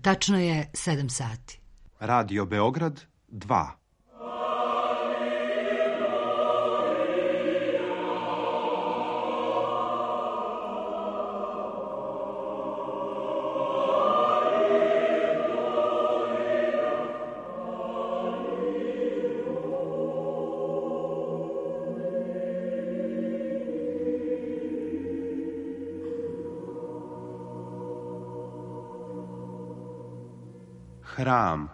Tačno je 7 sati. Radio Beograd 2. Hram.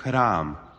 Hram.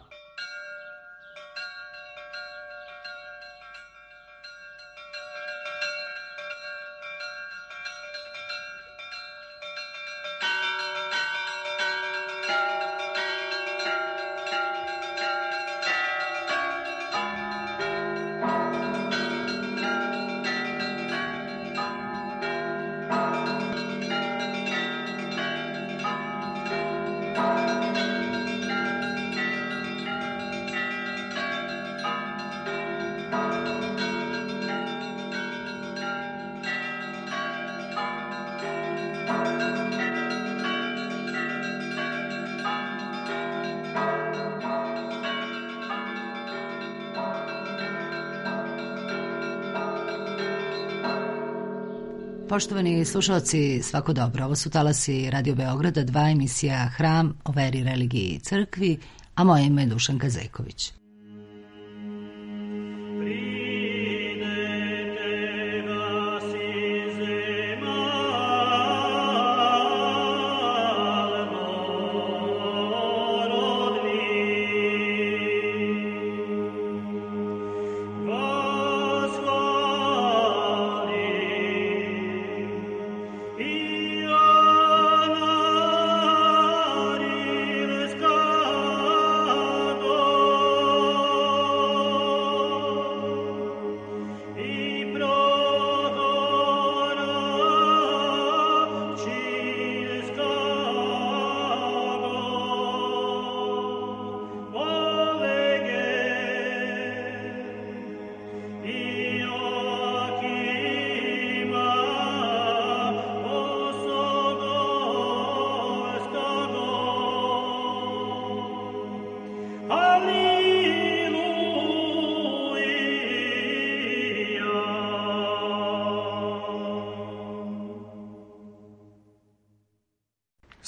Poštovani slušalci, svako dobro. Ovo su talasi Radio Beograda 2, emisija Hram o veri, religiji i crkvi, a moje ime je Dušanka Zeković.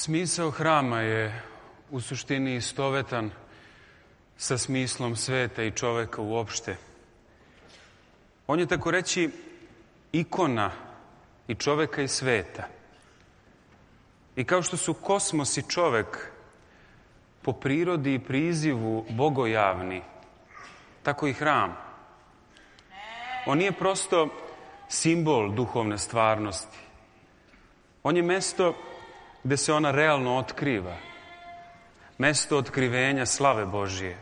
Smisao hrama je u suštini istovetan sa smislom sveta i čoveka uopšte. On je, tako reći, ikona i čoveka i sveta. I kao što su kosmos i čovek po prirodi i prizivu bogojavni, tako i hram. On nije prosto simbol duhovne stvarnosti. On je mesto gde se ona realno otkriva. Mesto otkrivenja slave Božije.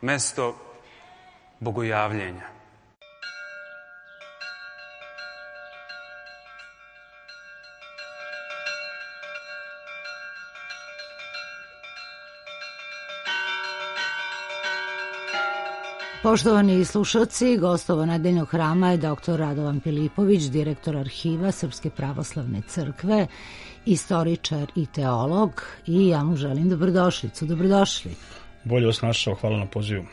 Mesto bogojavljenja. Poštovani slušalci, gostovo nedeljnog hrama je dr. Radovan Filipović, direktor arhiva Srpske pravoslavne crkve, istoričar i teolog, i ja mu želim dobrodošlicu. Dobrodošli. Bolje vas našao, hvala na pozivu.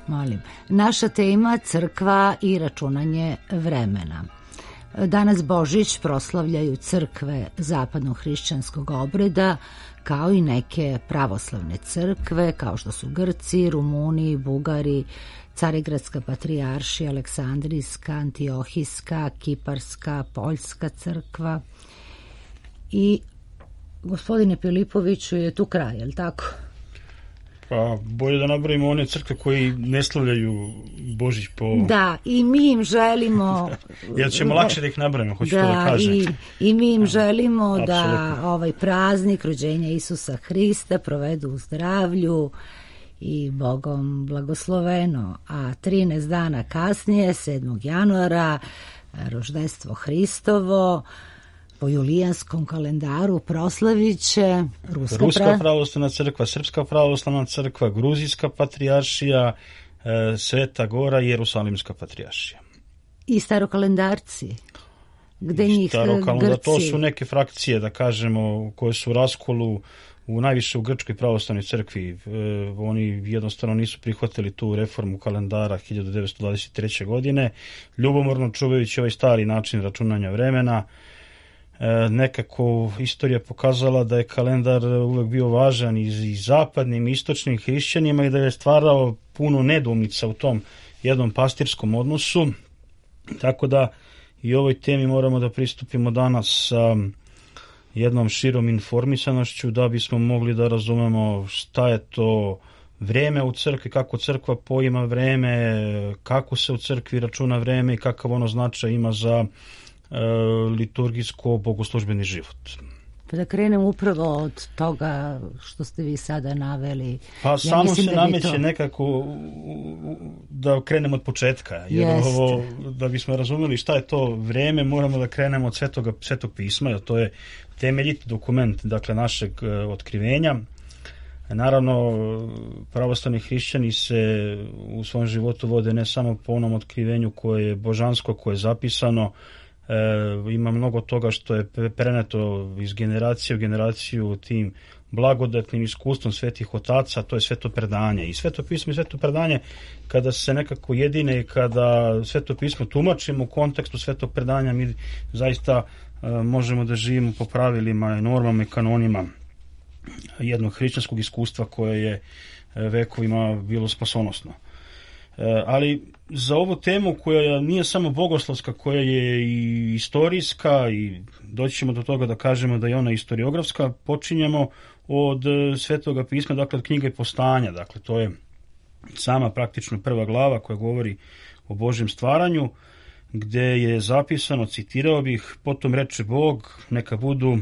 Molim. Naša tema crkva i računanje vremena. Danas Božić proslavljaju crkve zapadno-hrišćanskog obreda, kao i neke pravoslavne crkve, kao što su Grci, Rumuni, Bugari, Carigradska patrijaršija, Aleksandrijska, Antiohijska, Kiparska, Poljska crkva. I gospodine Filipoviću, je tu kraj, je li tako? Pa bolje da nabrojimo one crkve koji ne slavljaju Božić po... Da, i mi im želimo... Jer ćemo lakše da ih nabrojimo, hoću to da kažem. I mi im želimo da ovaj praznik rođenja Isusa Hrista provedu u zdravlju i Bogom blagosloveno, a 13 dana kasnije, 7. januara, roždestvo Hristovo, po julijanskom kalendaru proslavit će Ruska pravoslavna crkva, Srpska pravoslavna crkva, Gruzijska patrijaršija, Sveta Gora i Jerusalimska patrijaršija. I starokalendarci, gde njih Grci... To su neke frakcije, da kažemo, koje su u raskolu najviše u Grčkoj pravoslavnoj crkvi. Oni jednostavno nisu prihvatili tu reformu kalendara 1923. godine, ljubomorno čuvajući ovaj stari način računanja vremena. Nekako istorija pokazala da je kalendar uvek bio važan i zapadnim i istočnim hrišćanima i da je stvarao puno nedoumica u tom jednom pastirskom odnosu. Tako da i ovoj temi moramo da pristupimo danas sa jednom širom informisanošću da bismo mogli da razumemo šta je to vreme u crkvi, kako crkva poima vreme, kako se u crkvi računa vreme i kakav ono značaj ima za liturgijsko bogoslužbeni život. Pa da krenem upravo od toga što ste vi sada naveli. Pa samo se nameće nekako da krenemo od početka, jer ovo, da bismo razumeli šta je to vreme, moramo da krenemo od Svetog pisma, jer to je temeljiti dokument, dakle, našeg otkrivenja. Naravno, pravoslavni hrišćani se u svom životu vode ne samo po onom otkrivenju koje je božansko, koje je zapisano. Ima mnogo toga što je preneto iz generacije u generaciju tim blagodatnim iskustvom svetih otaca, to je sveto predanje. I sveto pismo i sveto predanje, kada se nekako jedine i kada sveto pismo tumačimo u kontekstu svetog predanja, mi zaista možemo da živimo po pravilima, normama i kanonima jednog hrišćanskog iskustva koje je vekovima bilo spasonosno. Ali za ovu temu koja nije samo bogoslovska, koja je i istorijska i doći ćemo do toga da kažemo da je ona istoriografska, počinjemo od Svetoga pisma, dakle od knjige Postanja. Dakle, to je sama praktično prva glava koja govori o Božjem stvaranju, gde je zapisano, citirao bih, potom reče Bog, neka budu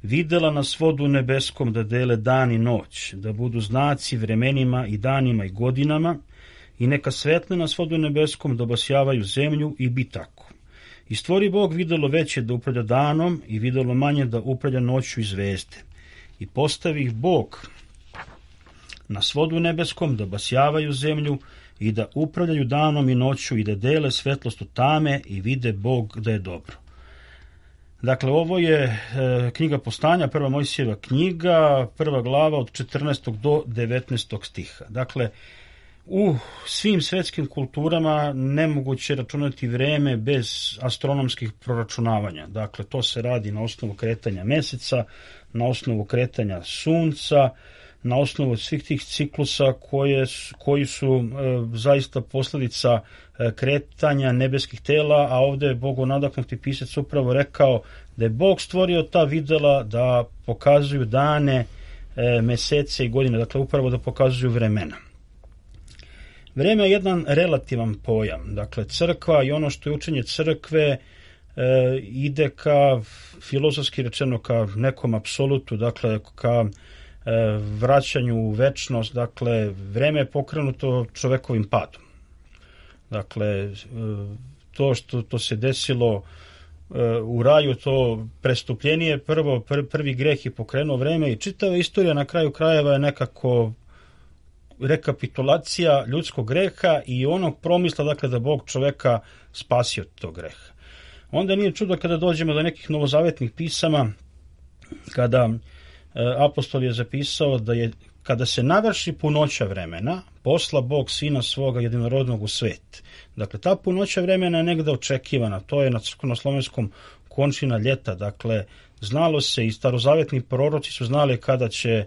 videla na svodu nebeskom da dele dan i noć, da budu znaci vremenima i danima i godinama, i neka svetle na svodu nebeskom da obasjavaju zemlju i bi tako. I stvori Bog videlo veće da upravlja danom i videlo manje da upravlja noću i zvezde. I postavi ih Bog na svodu nebeskom da obasjavaju zemlju i da upravljaju danom i noću i da dele svetlost u tame i vide Bog da je dobro. Dakle, ovo je knjiga Postanja, prva Mojsijeva knjiga, prva glava od 14. do 19. stiha. Dakle, u svim svetskim kulturama nemoguće računati vreme bez astronomskih proračunavanja. Dakle, to se radi na osnovu kretanja meseca, na osnovu kretanja sunca, na osnovu svih tih ciklusa koji su zaista posledica kretanja nebeskih tela, a ovde je bogonadahnuti pisac upravo rekao da je Bog stvorio ta videla da pokazuju dane, mesece i godine, dakle upravo da pokazuju vremena. Vreme je jedan relativan pojam, dakle crkva i ono što je učenje crkve ide ka, filozofski rečeno, ka nekom apsolutu, dakle ka vraćanju u večnost, dakle vreme je pokrenuto čovekovim padom. Dakle, to što se desilo u raju, to prestupljenje, prvi greh je pokrenuo vreme i čitava istorija na kraju krajeva je nekako rekapitulacija ljudskog greha i onog promisla, dakle, da Bog čoveka spasi od tog greha. Onda nije čudo kada dođemo do nekih novozavetnih pisama, kada apostol je zapisao da je, kada se navrši punoća vremena, posla Bog sina svoga jedinorodnog u svet. Dakle, ta punoća vremena je negde očekivana, to je na crkvenoslovenskom končina ljeta, dakle, znalo se i starozavetni proroci su znali kada će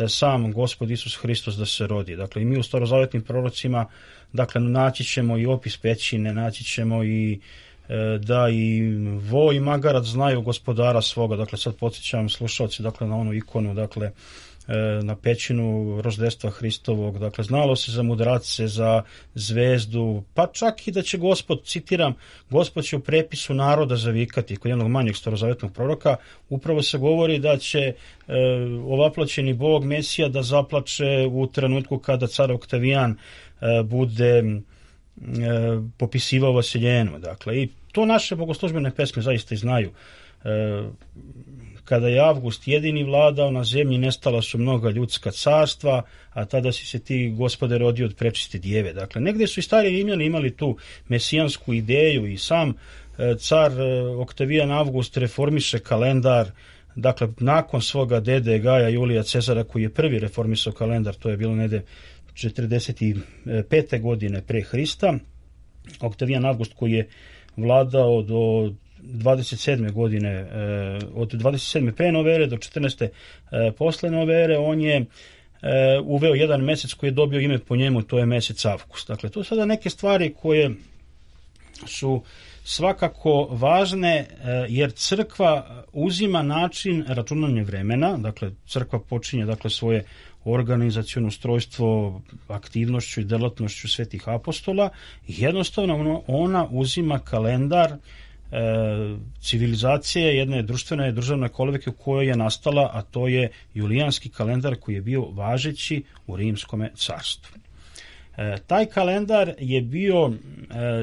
sam Gospod Isus Hristos da se rodi. Dakle, i mi u starozavetnim prorocima, dakle, naći ćemo i opis pećine, naći ćemo i da i vo i magarac znaju gospodara svoga. Dakle, sad podsjećam slušalci, dakle, na onu ikonu, dakle, na pećinu Roždestva Hristovog. Dakle, znalo se za mudrace, za zvezdu, pa čak i da će Gospod, citiram, Gospod će u prepisu naroda zavikati, kod jednog manjeg starozavetnog proroka, upravo se govori da će ovaploćeni Bog Mesija da zaplače u trenutku kada car Oktavijan bude popisivao vaseljenu. Dakle, i to naše bogoslužbene pesme zaista i znaju. Kada je Avgust jedini vladao na zemlji, nestala su mnoga ljudska carstva, a tada si se ti, Gospode, rodio od prečiste djeve. Dakle, negdje su i stari Rimljani imali tu mesijansku ideju i sam car Oktavijan Avgust reformiše kalendar. Dakle, nakon svoga dede Gaja Julija Cezara, koji je prvi reformisao kalendar, to je bilo negdje 45. godine pre Hrista, Oktavijan Avgust, koji je vladao do 27. godine, od 27. pre nove ere do 14. posle nove ere, on je uveo jedan mesec koji je dobio ime po njemu, to je mesec Avgust. Dakle, to su sada neke stvari koje su svakako važne, jer crkva uzima način računanja vremena, dakle crkva počinje dakle svoje organizaciono ustrojstvo aktivnošću i delatnošću svetih apostola i jednostavno ona uzima kalendar civilizacije jedne društvene državne kolevke u kojoj je nastala, a to je julijanski kalendar koji je bio važeći u Rimskom carstvu. Taj kalendar je bio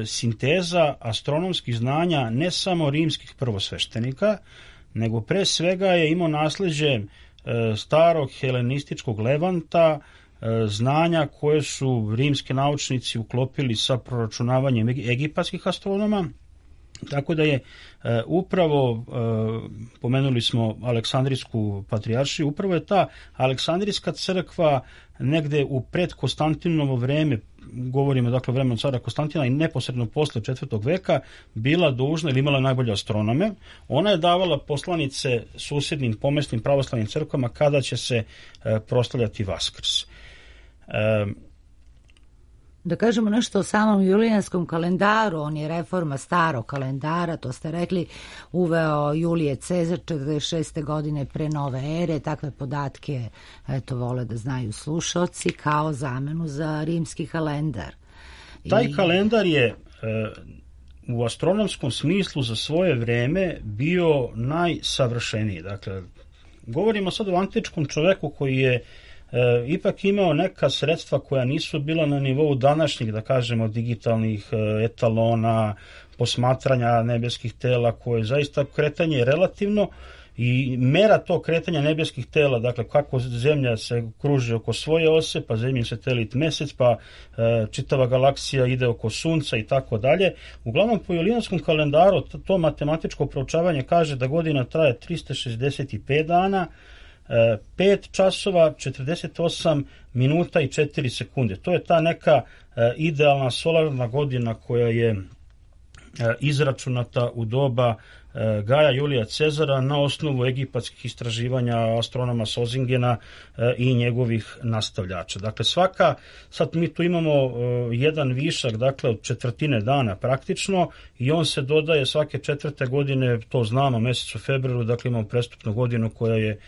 sinteza astronomskih znanja ne samo rimskih prvosveštenika, nego pre svega je imao nasleđe starog helenističkog Levanta, znanja koje su rimski naučnici uklopili sa proračunavanjem egipatskih astronoma. Tako da je upravo, pomenuli smo Aleksandrijsku patrijaršiju, upravo je ta Aleksandrijska crkva negde u predkonstantinovo vreme, govorimo dakle vremenu cara Konstantina i neposredno posle 4. veka, bila dužna ili imala najbolje astronome. Ona je davala poslanice susjednim pomesnim pravoslavnim crkvama kada će se proslavljati Vaskrs. Da kažemo nešto o samom julijanskom kalendaru, on je reforma starog kalendara, to ste rekli, uveo Julije Cezar 46. godine pre nove ere, takve podatke eto vole da znaju slušalci, kao zamenu za rimski kalendar. Taj kalendar je u astronomskom smislu za svoje vreme bio najsavršeniji. Dakle, govorimo sad o antičkom čoveku koji je ipak imao neka sredstva koja nisu bila na nivou današnjih, da kažemo, digitalnih etalona, posmatranja nebeskih tela, koje zaista kretanje je relativno i mera tog kretanja nebeskih tela, dakle kako zemlja se kruži oko svoje ose, pa zemljin satelit mesec, pa čitava galaksija ide oko sunca i tako dalje. Uglavnom po julijanskom kalendaru to matematičko proučavanje kaže da godina traje 365 dana, 5 časova, 48 minuta i 4 sekunde. To je ta neka idealna solarna godina koja je izračunata u doba Gaja Julija Cezara na osnovu egipatskih istraživanja astronoma Sozingena i njegovih nastavljača. Dakle, sad mi tu imamo jedan višak, dakle, od četvrtine dana praktično i on se dodaje svake 4. godine, to znamo, mesecu februaru, dakle imamo prestupnu godinu koja je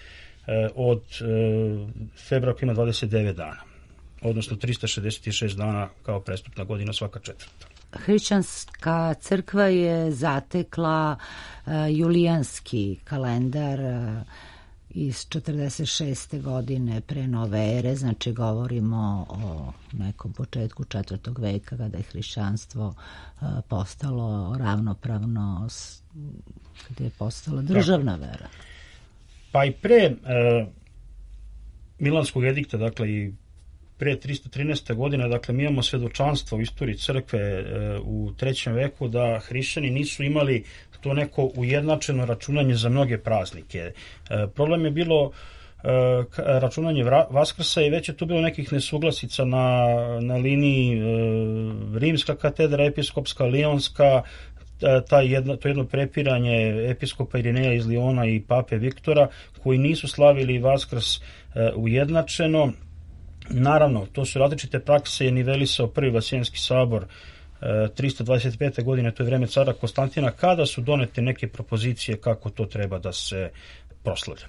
od februara ima 29 dana, odnosno 366 dana kao prestupna godina svaka 4. Hrišćanska crkva je zatekla julijanski kalendar iz 46. godine pre nove ere, znači govorimo o nekom početku 4. veka kada je hrišćanstvo postalo ravnopravno, kada je postala državna vera. Pa i pre Milanskog edikta, dakle i pre 313. godine, dakle mi imamo svedočanstvo u istoriji crkve u 3. veku da hrišćani nisu imali to neko ujednačeno računanje za mnoge praznike. Problem je bilo računanje Vaskrsa i već je tu bilo nekih nesuglasica na liniji Rimska katedra, episkopska, Lionska, to jedno prepiranje episkopa Irineja iz Liona i pape Viktora, koji nisu slavili Vaskrs ujednačeno. Naravno, to su različite prakse, je nivelisao prvi Vasijanski sabor 325. godine, to je vreme cara Konstantina, kada su donete neke propozicije kako to treba da se proslavlja.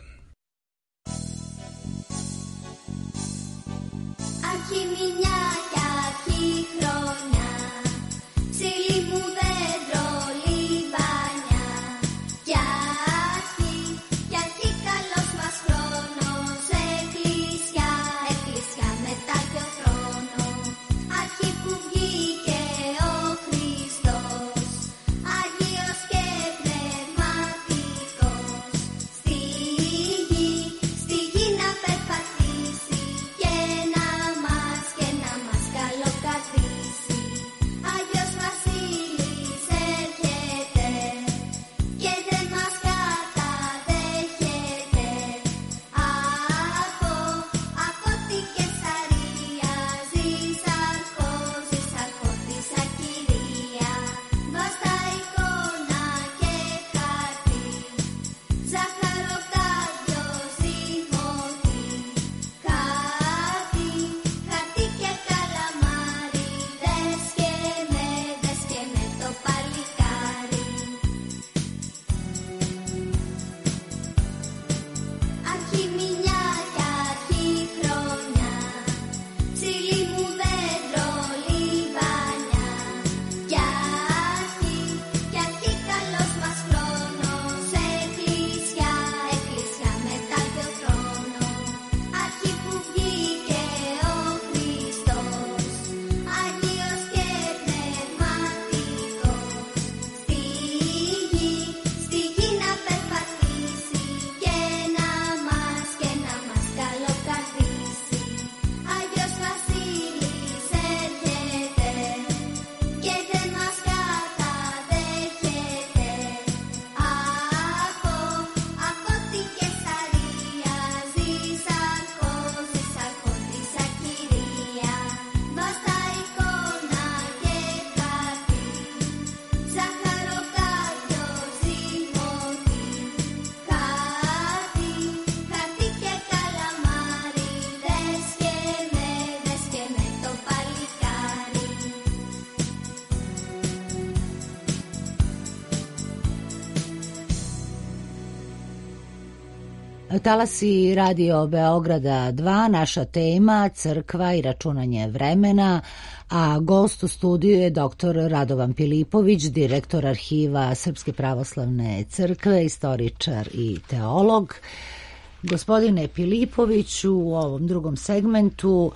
Talasi Radio Beograda 2, naša tema crkva i računanje vremena, a gost u studiju je dr. Radovan Pilipović, direktor arhiva Srpske pravoslavne crkve, istoričar i teolog. Gospodine Pilipoviću, u ovom drugom segmentu,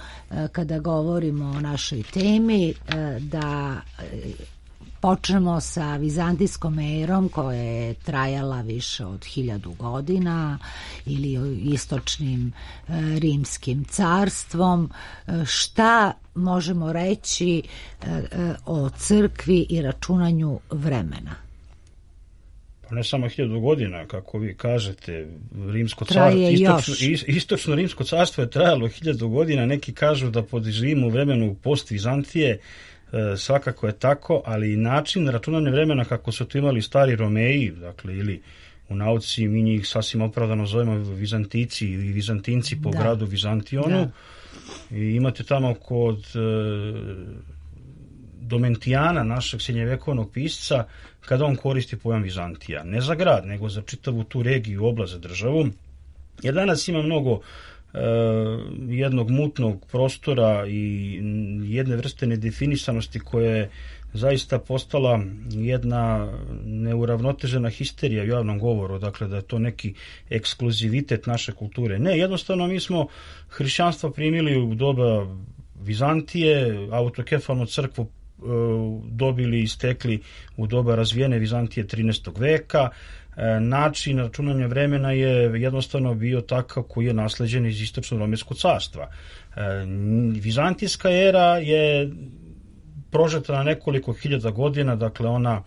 kada govorimo o našoj temi, da počnemo sa vizantijskom erom koja je trajala više od 1000 godina ili istočnim rimskim carstvom. Šta možemo reći o crkvi i računanju vremena? Pa ne samo 1000 godina, kako vi kažete, rimsko istočno rimsko carstvo je trajalo 1000 godina, neki kažu da živimo u vremenu post-Vizantije. Svakako je tako, ali i način računanja vremena kako su to imali stari Romeji, dakle, ili u nauci mi njih sasvim opravdano zovemo Vizantici ili Vizantinci po gradu Vizantionu. I imate tamo kod Domentijana, našeg srednjevekovnog pisca, kada on koristi pojam Vizantija. Ne za grad, nego za čitavu tu regiju, oblast, za državu. Jer danas ima mnogo jednog mutnog prostora i jedne vrste nedefinisanosti koja je zaista postala jedna neuravnotežena histerija u javnom govoru, dakle da je to neki ekskluzivitet naše kulture. Ne, jednostavno mi smo hrišćanstvo primili u doba Vizantije, autokefalnu crkvu dobili i stekli u doba razvijene Vizantije 13. veka. Način računanja vremena je jednostavno bio takav koji je nasleđen iz istočno-romejskog carstva. Vizantijska era je prožeta na nekoliko hiljada godina, dakle ona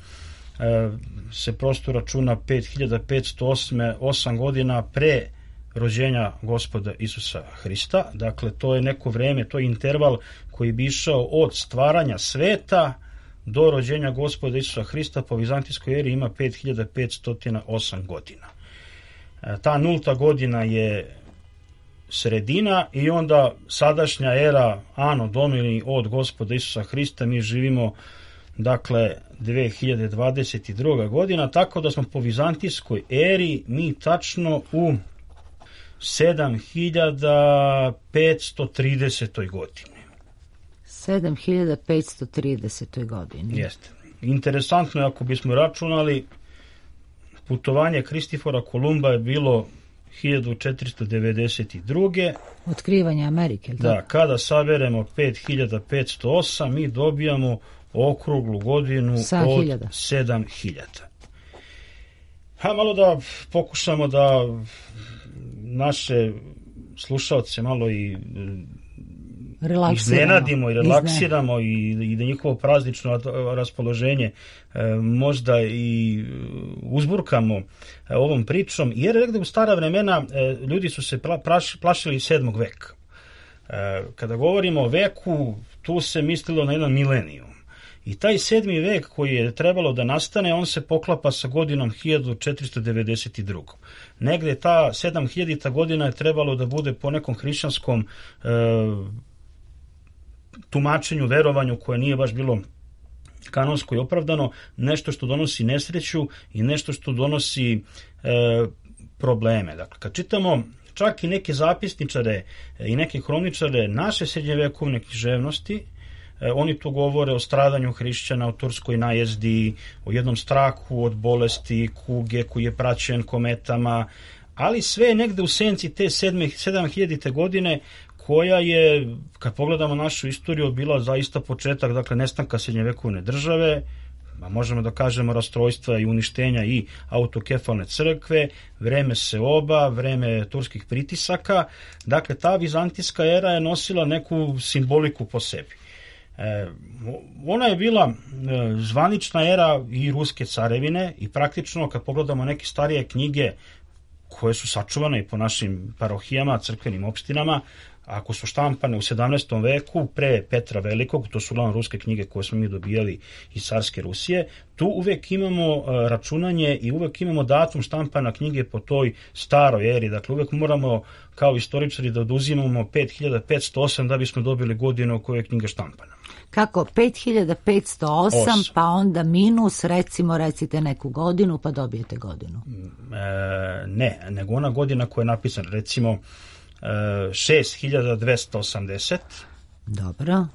se prosto računa 5508 godina pre rođenja Gospoda Isusa Hrista. Dakle, to je neko vreme, to je interval koji bi išao od stvaranja sveta do rođenja Gospoda Isusa Hrista. Po vizantijskoj eri ima 5508 godina. Ta nulta godina je sredina i onda sadašnja era Anno Domini od Gospoda Isusa Hrista, mi živimo dakle 2022. godina, tako da smo po vizantijskoj eri mi tačno u 7530. godini. 7530. godini. Jeste. Interesantno je ako bismo računali, putovanje Kristifora Kolumba je bilo 1492. Otkrivanje Amerike. Da, kada saberemo 5508, mi dobijamo okruglu godinu od 7000. Malo da pokušamo da naše slušalce malo i iznenadimo i relaksiramo i da njihovo praznično raspoloženje možda i uzburkamo ovom pričom, jer negde u stara vremena ljudi su se plašili 7. veka. Kada govorimo o veku, tu se mislilo na jedan milenijum. I taj 7. vek koji je trebalo da nastane, on se poklapa sa godinom 1492. Negde ta 7000. godina je trebalo da bude po nekom hrišćanskom tumačenju, verovanju koje nije baš bilo kanonsko i opravdano, nešto što donosi nesreću i nešto što donosi probleme. Dakle, kad čitamo čak i neke zapisničare i neke hroničare naše srednjevekovne književnosti, oni tu govore o stradanju hrišćana, o turskoj najezdi, o jednom strahu od bolesti, kuge koji je praćen kometama, ali sve je negde u senci te 7000. godine koja je, kad pogledamo našu istoriju, bila zaista početak, dakle, nestanka srednjevekovne države, možemo da kažemo rastrojstva i uništenja i autokefalne crkve, vreme seoba, vreme turskih pritisaka. Dakle, ta vizantijska era je nosila neku simboliku po sebi. Ona je bila zvanična era i ruske carevine i praktično kad pogledamo neke starije knjige koje su sačuvane i po našim parohijama, crkvenim opštinama, ako su štampane u 17. veku pre Petra Velikog, to su uglavnom ruske knjige koje smo mi dobijali iz carske Rusije, tu uvek imamo računanje i uvek imamo datum štampana knjige po toj staroj eri. Dakle, uvek moramo kao istoričari da oduzimamo 5508 da bismo dobili godinu u kojoj je knjiga štampana. Kako? 5508 pa onda minus, recite neku godinu pa dobijete godinu. Ne, nego ona godina koja je napisana, recimo 6280. Dobro.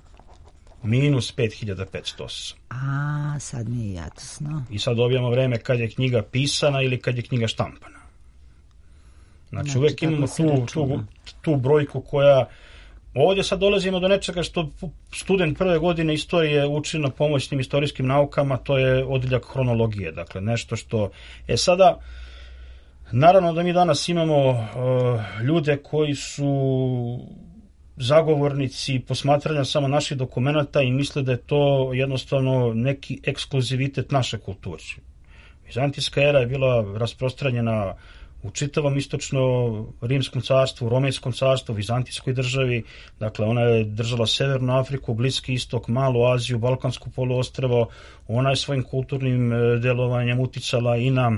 Minus 5508. Sad mi je jasno. I sad dobijamo vreme kad je knjiga pisana ili kad je knjiga štampana. Znači uvek imamo tu brojku koja... Ovdje sad dolazimo do nečega što student prve godine istorije uči na pomoćnim istorijskim naukama, to je odeljak hronologije. Dakle, nešto što... Sada... Naravno da mi danas imamo ljude koji su zagovornici posmatranja samo naših dokumenata i misle da je to jednostavno neki ekskluzivitet naše kulture. Vizantijska era je bila rasprostranjena u čitavom istočno-rimskom carstvu, romejskom carstvu, vizantijskoj državi. Dakle, ona je držala Severnu Afriku, Bliski istok, Malu Aziju, Balkansko poluostrvo. Ona je svojim kulturnim delovanjem uticala i na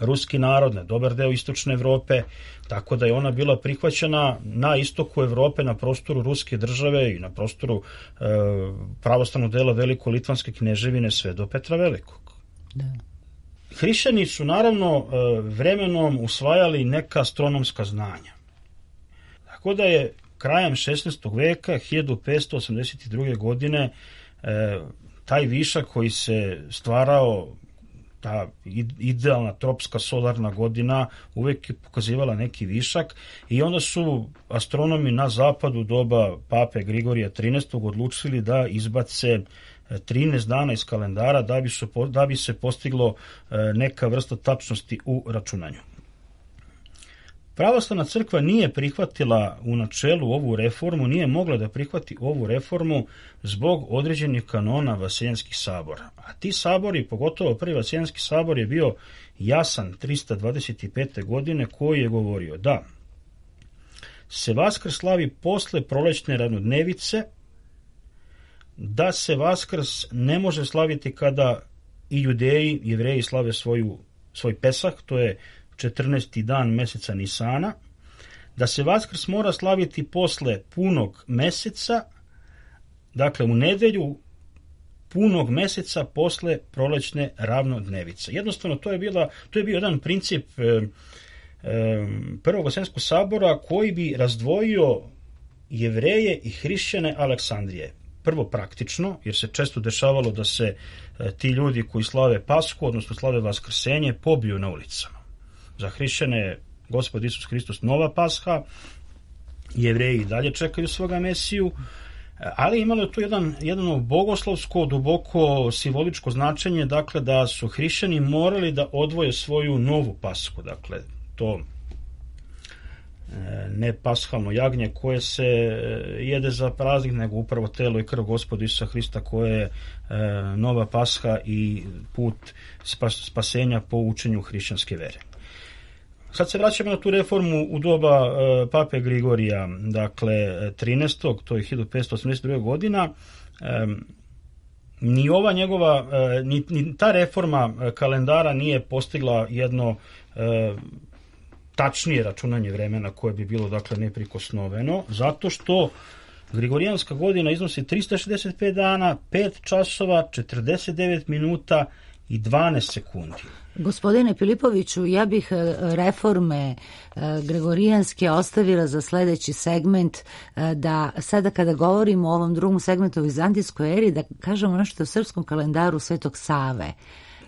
ruski narod, na dobar deo istočne Evrope, tako da je ona bila prihvaćena na istoku Evrope, na prostoru ruske države i na prostoru pravoslavnog dela Veliko-Litvanske kneževine sve do Petra Velikog. Da. Hrišćani su naravno vremenom usvajali neka astronomska znanja. Tako da je krajem 16. veka, 1582. godine, taj višak koji se stvarao, ta idealna tropska solarna godina, uvek je pokazivala neki višak i onda su astronomi na zapadu doba pape Grigorija 13. odlučili da izbace 13 dana iz kalendara da bi se postiglo neka vrsta tačnosti u računanju. Pravoslavna crkva nije prihvatila u načelu ovu reformu, nije mogla da prihvati ovu reformu zbog određenih kanona vaseljenskih sabora. A ti sabori, pogotovo prvi vaseljenski sabor, je bio jasan 325. godine, koji je govorio da se Vaskrs slavi posle prolećne ravnodnevice, da se Vaskrs ne može slaviti kada i Judeji, Jevreji slave svoj Pesah, to je 14. dan meseca Nisana, da se Vaskrs mora slaviti posle punog meseca, dakle u nedelju punog meseca posle prolećne ravnodnevice. Jednostavno, to je bio jedan princip Prvog vaseljenskog sabora koji bi razdvojio Jevreje i hrišćane Aleksandrije. Prvo praktično, jer se često dešavalo da se ti ljudi koji slave Pasku, odnosno slave Vaskrsenje, pobiju na ulicama. Za hrišćane je Gospod Isus Hristos nova Pasha, Jevreji dalje čekaju svoga Mesiju, ali imalo je tu jedno bogoslovsko, duboko simboličko značenje, dakle da su hrišćani morali da odvoje svoju novu Pashu, dakle to ne pashalno jagnje koje se jede za praznik, nego upravo telo i krv Gospoda Isusa Hrista koje je nova Pasha i put spasenja po učenju hrišćanske vere. Sad se vraćamo na tu reformu u doba pape Grigorija, dakle 13. to je 1582. godina. Ni ova njegova, ni ta reforma kalendara nije postigla jedno tačnije računanje vremena koje bi bilo, dakle, neprikosnoveno, zato što Grigorijanska godina iznosi 365 dana, 5 časova, 49 minuta i 12 sekundi. Gospodine Filipoviću, ja bih reforme Gregorijanske ostavila za sledeći segment, da sada kada govorimo o ovom drugom segmentu o vizantijskoj eri, da kažemo nešto o srpskom kalendaru Svetog Save.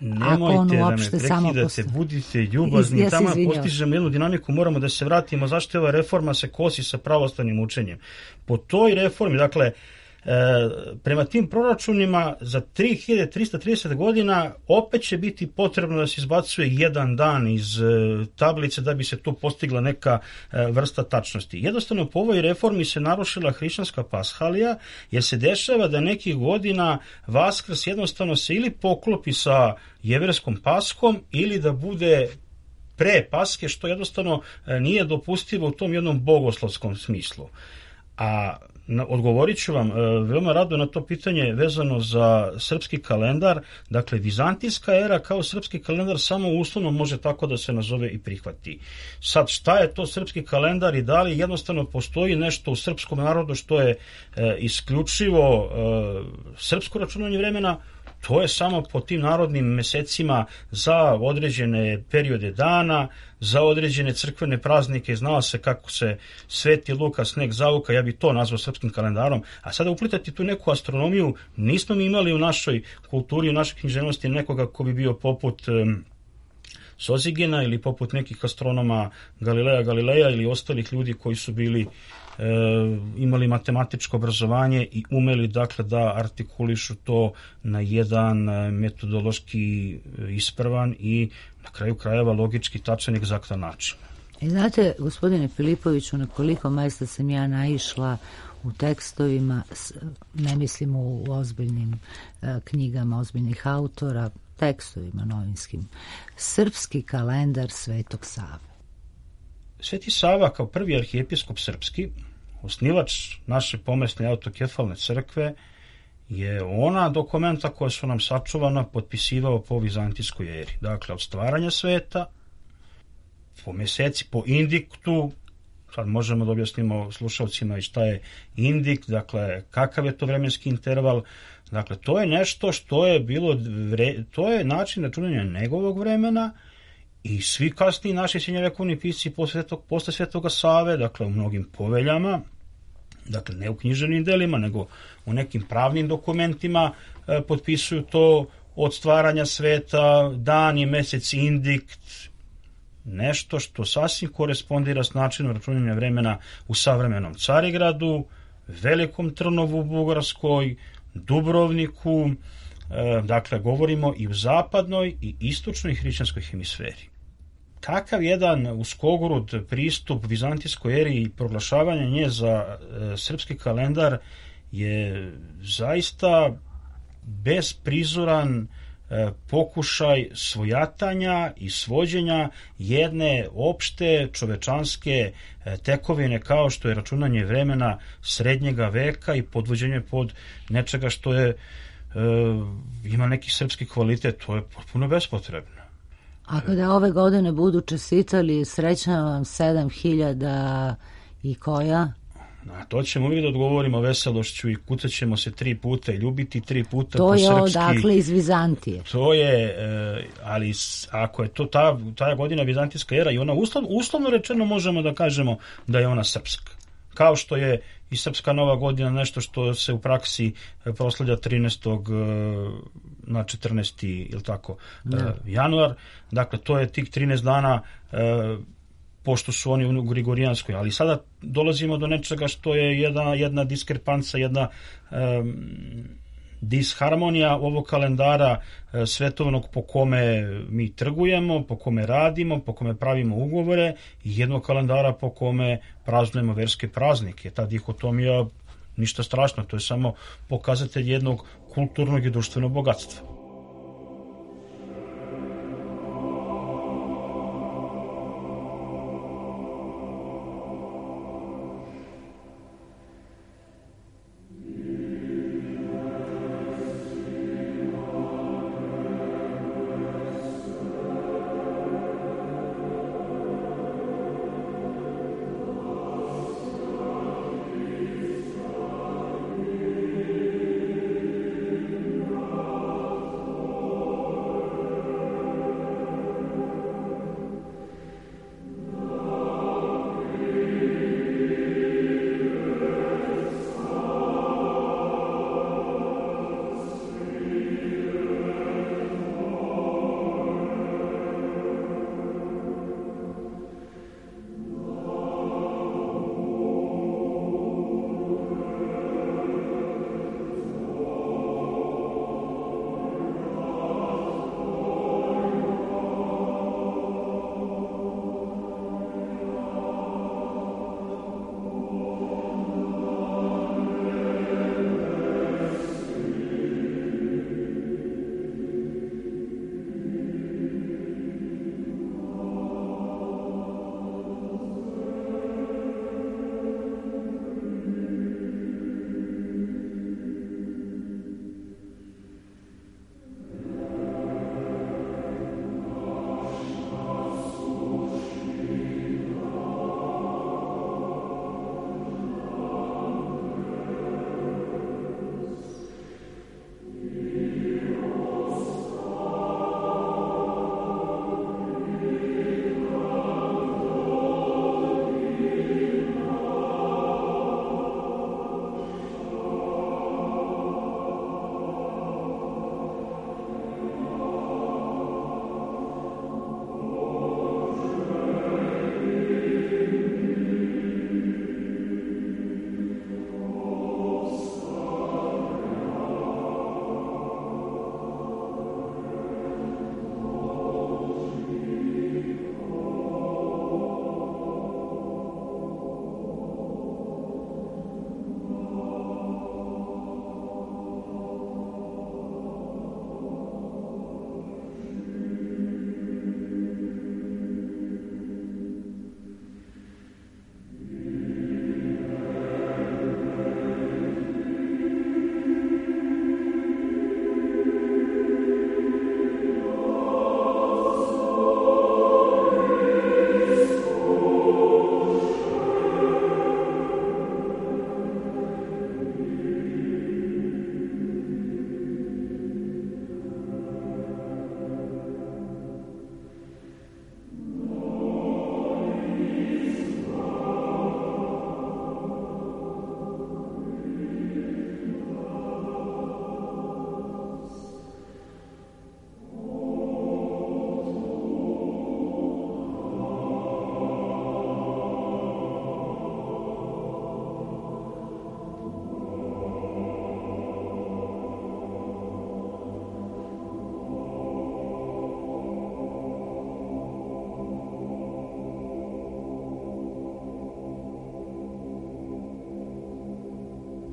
Nemojte da me prekidate, budite ljubazni, tamo postižemo jednu dinamiku, moramo da se vratimo, zašto je ova reforma se kosi sa pravoslavnim učenjem. Po toj reformi, dakle, prema tim proračunima za 3330 godina opet će biti potrebno da se izbacuje jedan dan iz tablice da bi se tu postigla neka vrsta tačnosti. Jednostavno po ovoj reformi se narušila hrišćanska pashalija, jer se dešava da nekih godina Vaskrs jednostavno se ili poklopi sa jevreskom Paskom ili da bude pre Paske, što jednostavno nije dopustivo u tom jednom bogoslovskom smislu. A odgovorit ću vam veoma rado na to pitanje vezano za srpski kalendar. Dakle, vizantijska era kao srpski kalendar samo uslovno može tako da se nazove i prihvati. Sad, šta je to srpski kalendar i da li jednostavno postoji nešto u srpskom narodu što je isključivo srpsko računanje vremena? To je samo po tim narodnim mesecima za određene periode dana, za određene crkvene praznike, znao se kako se Sveti Luka sneg zavuka, ja bi to nazvao srpskim kalendarom. A sada uplitati tu neku astronomiju, nismo mi imali u našoj kulturi, u našoj književnosti nekoga ko bi bio poput Sozigena ili poput nekih astronoma Galileja ili ostalih ljudi koji su bili imali matematičko obrazovanje i umeli dakle da artikulišu to na jedan metodološki ispravan i na kraju krajeva logički tačan i egzaktan način. I znate, gospodine Filipoviću, na koliko mesta sam ja naišla u tekstovima, ne mislim u ozbiljnim knjigama ozbiljnih autora, tekstovima novinskim, srpski kalendar Svetog Save. Sveti Sava kao prvi arhijepiskop srpski, osnivač naše pomesne autokefalne crkve, je ona dokumenta koja su nam sačuvana potpisivao po vizantijskoj eri. Dakle, od stvaranja sveta, po meseci, po indiktu, sad možemo da objasnimo slušalcima i šta je indikt, dakle, kakav je to vremenski interval. Dakle, to je nešto što je bilo, to je način računanja njegovog vremena i svi kasniji naši srednjovekovni pisci posle Svetoga Save, dakle, u mnogim poveljama, dakle, ne u književnim delima, nego u nekim pravnim dokumentima potpisuju to od stvaranja sveta, dan i mesec indikt, nešto što sasvim korespondira s načinom računanja vremena u savremenom Carigradu, Velikom Trnovu u Bugarskoj, Dubrovniku, dakle, govorimo i u zapadnoj i istočnoj hrišćanskoj hemisferi. Takav jedan uskogrud pristup vizantijskoj eri i proglašavanje nje za srpski kalendar je zaista besprizoran pokušaj svojatanja i svođenja jedne opšte čovečanske tekovine kao što je računanje vremena srednjega veka i podvođenje pod nečega što je ima neki srpski kvalitet, to je potpuno bespotrebno. A kada ove godine budu čestitali srećna vam 7000 i koja? Na to ćemo uvijek da odgovorimo veselošću i kucat ćemo se 3 puta i ljubiti 3 puta to po srpski. To je odakle iz Vizantije. To je, ali ako je to ta godina vizantijska era i ona uslovno rečeno možemo da kažemo da je ona srpska. Kao što je i srpska nova godina nešto što se u praksi proslavlja 13. na 14. ili tako, januar. Dakle, to je tih 13 dana pošto su oni u Grigorijanskoj, ali sada dolazimo do nečega što je jedna diskrepanca, jedna disharmonija ovog kalendara svetovnog po kome mi trgujemo, po kome radimo, po kome pravimo ugovore i jednog kalendara po kome praznujemo verske praznike. Ta dihotomija ništa strašno, to je samo pokazatelj jednog kulturnog i društvenog bogatstva.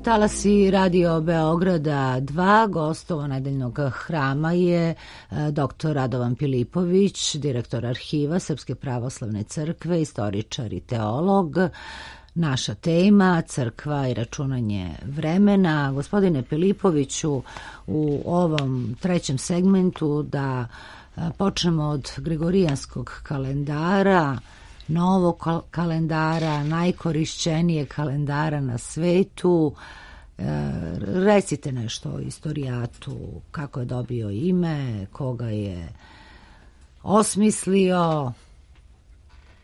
talasi Radio Beograda 2, gostovo nedeljnog hrama je dr. Radovan Pilipović, direktor arhiva Srpske pravoslavne crkve, istoričar i teolog. Naša tema, crkva i računanje vremena. Gospodine Pilipoviću, u ovom trećem segmentu da počnemo od Gregorijanskog kalendara, novog kalendara, najkorišćenijeg kalendara na svetu. Recite nešto o istorijatu, kako je dobio ime, koga je osmislio,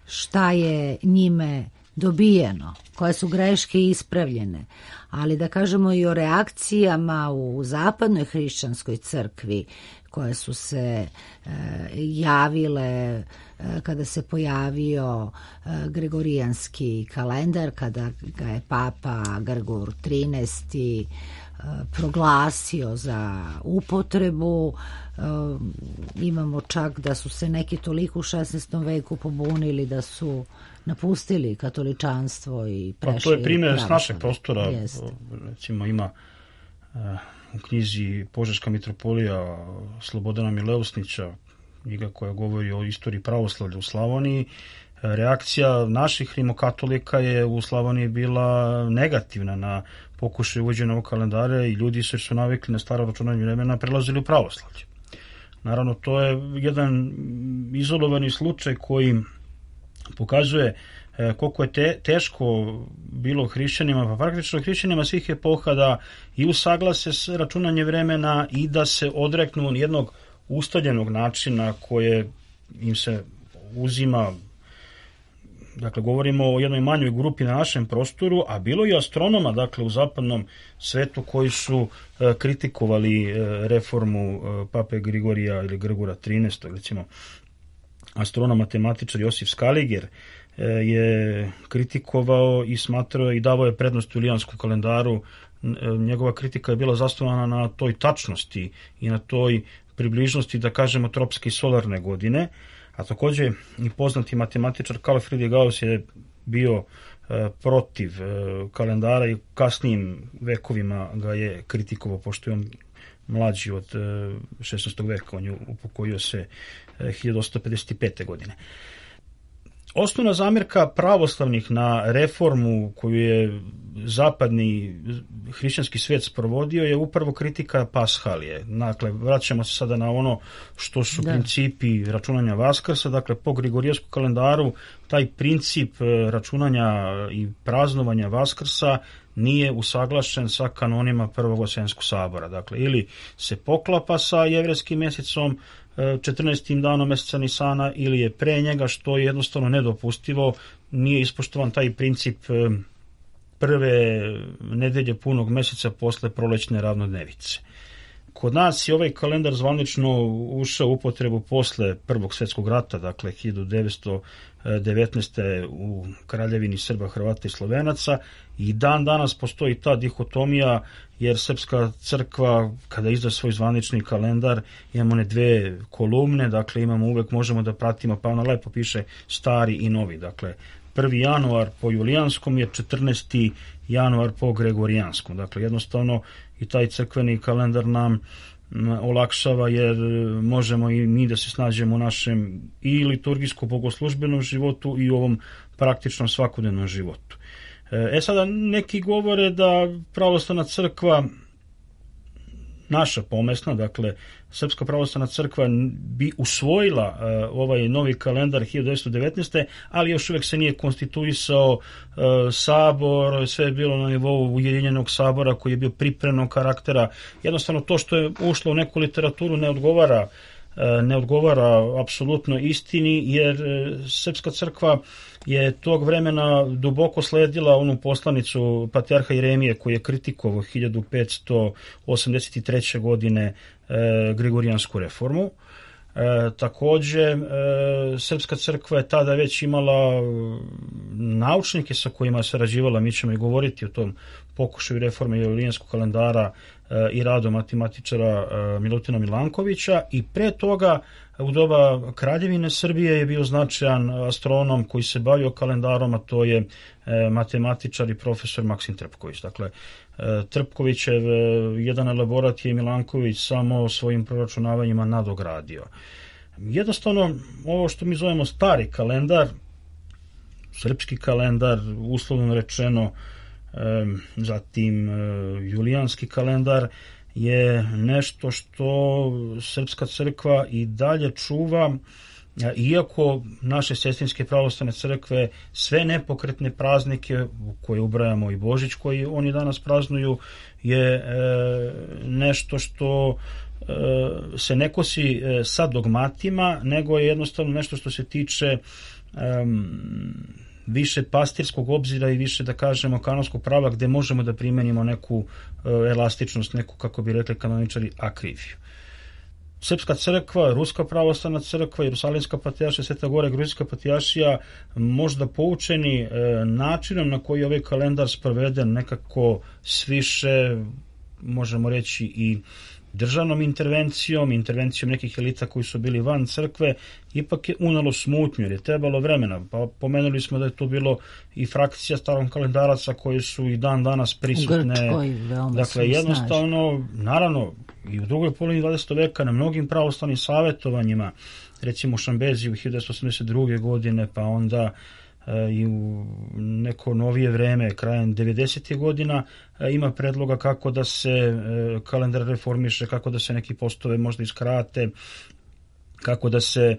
šta je njime dobijeno, koje su greške ispravljene, ali da kažemo i o reakcijama u zapadnoj hrišćanskoj crkvi koje su se javile kada se pojavio Gregorijanski kalendar, kada ga je Papa Grgur XIII proglasio za upotrebu. Imamo čak da su se neki toliko u 16. veku pobunili da su napustili katoličanstvo i prešli. To je primjer s našeg prostora. Recimo ima u knjizi Požeška mitropolija Slobodana Mileusnića, knjiga koja govori o istoriji pravoslavlja u Slavoniji. Reakcija naših rimokatolika je u Slavoniji bila negativna na pokušaj uvođenja ovog kalendara i ljudi su navikli na staro računanje vremena prelazili u pravoslavlje. Naravno, to je jedan izolovani slučaj koji pokazuje koliko je teško bilo hrišćanima, pa praktično hrišćanima svih epoha da i usaglase s računanje vremena i da se odreknu jednog ustaljenog načina koje im se uzima. Dakle, govorimo o jednoj manjoj grupi na našem prostoru, a bilo i astronoma, dakle, u zapadnom svetu koji su kritikovali reformu Pape Grigorija ili Grgura XIII. Recimo, astronom, matematičar Josif Skaliger je kritikovao i smatrao i davao je prednost julijanskom kalendaru. Njegova kritika je bila zasnovana na toj tačnosti i na toj približnosti, da kažemo, tropske i solarne godine. A također i poznati matematičar Carl Friedrich Gauss je bio protiv kalendara i kasnijim vekovima ga je kritikovao, pošto je on mlađi od 16. veka, on je upokojio se 1855. godine. Osnovna zamjerka pravoslavnih na reformu koju je zapadni hrišćanski svijet sprovodio je upravo kritika Pashalije. Dakle, vraćamo se sada na ono što su principi računanja Vaskrsa. Dakle, po Grigorijanskom kalendaru taj princip računanja i praznovanja Vaskrsa nije usaglašen sa kanonima Prvog Vaseljenskog sabora. Dakle, ili se poklapa sa jevrejskim mjesecom 14. danom mjeseca Nisana ili je pre njega, što je jednostavno nedopustivo. Nije ispoštovan taj princip prve nedelje punog mjeseca posle prolećne ravnodnevice. Kod nas je ovaj kalendar zvanično ušao u upotrebu posle Prvog svjetskog rata, dakle 1919. u Kraljevini Srba, Hrvata i Slovenaca, i dan danas postoji ta dihotomija, jer Srpska crkva kada izda svoj zvanični kalendar imamo one dve kolumne, dakle imamo uvek, možemo da pratimo, pa ono lepo piše stari i novi, dakle 1. januar po julijanskom je 14. januar po gregorijanskom, dakle jednostavno i taj crkveni kalendar nam olakšava, jer možemo i mi da se snađemo u našem i liturgijsko-bogoslužbenom životu i u ovom praktičnom svakodnevnom životu. Sada neki govore da pravoslavna crkva, naša pomesna, dakle Srpska pravoslavna crkva bi usvojila ovaj novi kalendar 1919. ali još uvijek se nije konstituisao sabor, sve je bilo na nivou ujedinjenog sabora koji je bio pripremnog karaktera. Jednostavno to što je ušlo u neku literaturu ne odgovara apsolutno istini, jer Srpska crkva je tog vremena duboko sledila onu poslanicu patrijarha Jeremije koji je kritikovao 1583. godine Gregorijansku reformu. Također, Srpska crkva je tada već imala naučnike sa kojima je sarađivala, mi ćemo i govoriti o tom pokušaju reforme julijanskog kalendara i radu matematičara Milutina Milankovića, i pre toga u doba Kraljevine Srbije je bio značajan astronom koji se bavio kalendarom, a to je matematičar i profesor Maksim Trepković. Dakle, Trpkovićev jedan elaborat je Milanković samo svojim proračunavanjima nadogradio. Jednostavno, ovo što mi zovemo stari kalendar, srpski kalendar, uslovno rečeno, zatim julijanski kalendar, je nešto što Srpska crkva i dalje čuva, iako naše sestrinske pravoslavne crkve sve nepokretne praznike u koje ubrajamo i Božić koji oni danas praznuju je nešto što se ne kosi sa dogmatima, nego je jednostavno nešto što se tiče više pastirskog obzira i više, da kažemo, kanonskog prava, gde možemo da primenimo neku elastičnost, neku, kako bi rekli kanoničari, akriviju. Srpska crkva, Ruska pravoslavna crkva, Jerusalimska patrijaršija, Sveta Gora, Gruzijska patrijaršija, možda poučeni načinom na koji je ovaj kalendar sproveden, nekako sviše, možemo reći, i državnom intervencijom nekih elita koji su bili van crkve, ipak je unalo smutnju jer je trebalo vremena. Pa pomenuli smo da je tu bilo i frakcija starom kalendaraca koji su i dan danas prisutne. Dakle, jednostavno, naravno, i u drugoj polovini 20. veka na mnogim pravoslavnim savjetovanjima, recimo u Šambeziju 1982. godine, pa onda i u neko novije vreme, krajem 90. godina, ima predloga kako da se kalendar reformiše, kako da se neki postove možda iskrate, kako da se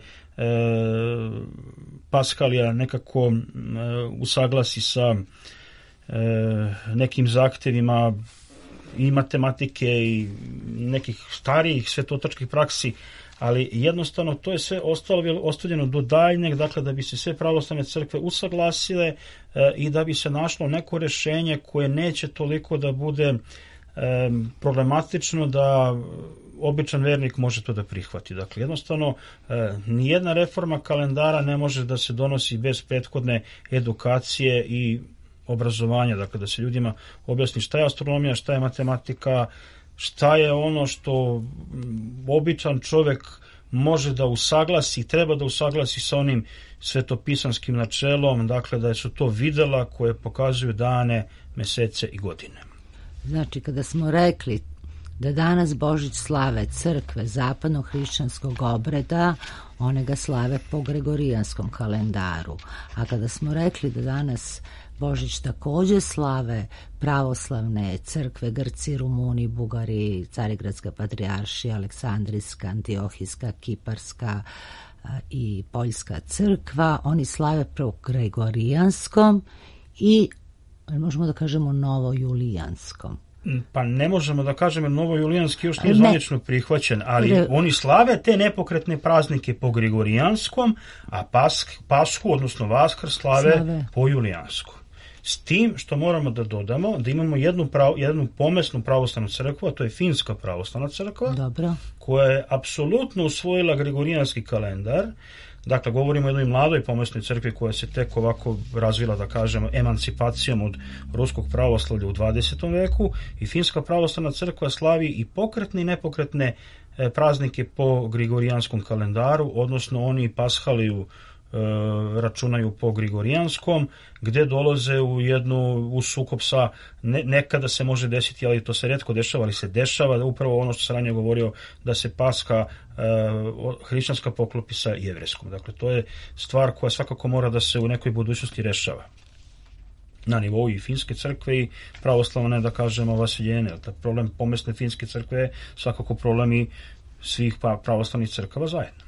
Paskalija nekako usaglasi sa nekim zahtevima i matematike i nekih starijih svetotačkih praksi, ali jednostavno to je sve ostavljeno do daljnjeg, dakle da bi se sve pravoslavne crkve usaglasile i da bi se našlo neko rešenje koje neće toliko da bude problematično da običan vernik može to da prihvati. Dakle, jednostavno, nijedna reforma kalendara ne može da se donosi bez prethodne edukacije i obrazovanja, dakle da se ljudima objasni šta je astronomija, šta je matematika, šta je ono što običan čovek može da usaglasi, treba da usaglasi sa onim svetopisanskim načelom, dakle da su to videla koje pokazuju dane, mesece i godine. Znači, kada smo rekli da danas Božić slave crkve zapadno-hrišćanskog obreda, one ga slave po gregorijanskom kalendaru. A kada smo rekli da danas Božić takođe slave pravoslavne crkve, Grci, Rumuni, Bugari, Carigradska patrijaršija, Aleksandrijska, Antiohijska, Kiparska i Poljska crkva, oni slave po gregorijanskom i, možemo da kažemo, novojulijanskom. Pa ne možemo da kažemo novojulijanski još nije zvanično prihvaćen, ali oni slave te nepokretne praznike po gregorijanskom, a Pashu, odnosno Vaskr, slave po julijanskom. S tim što moramo da dodamo da imamo jednu pomesnu pravoslavnu crkvu, a to je Finska pravoslavna crkva, koja je apsolutno usvojila gregorijanski kalendar. Dakle, govorimo o jednoj mladoj pomesnoj crkvi koja se tek ovako razvila, da kažemo, emancipacijom od ruskog pravoslavlja u 20. veku i Finska pravoslavna crkva slavi i pokretne i nepokretne praznike po gregorijanskom kalendaru, odnosno oni Pashaliju računaju po gregorijanskom, gde dolaze u sukob sa, nekada se može desiti, ali to se retko dešava, ali se dešava da upravo ono što sam ranije govorio, da se Paska hrišćanska poklopi sa jevrejskom. Dakle, to je stvar koja svakako mora da se u nekoj budućnosti rešava na nivou i Finske crkve i pravoslavne, da kažemo, vasiljene. Problem pomesne Finske crkve je svakako problem i svih pravoslavnih crkava zajedno.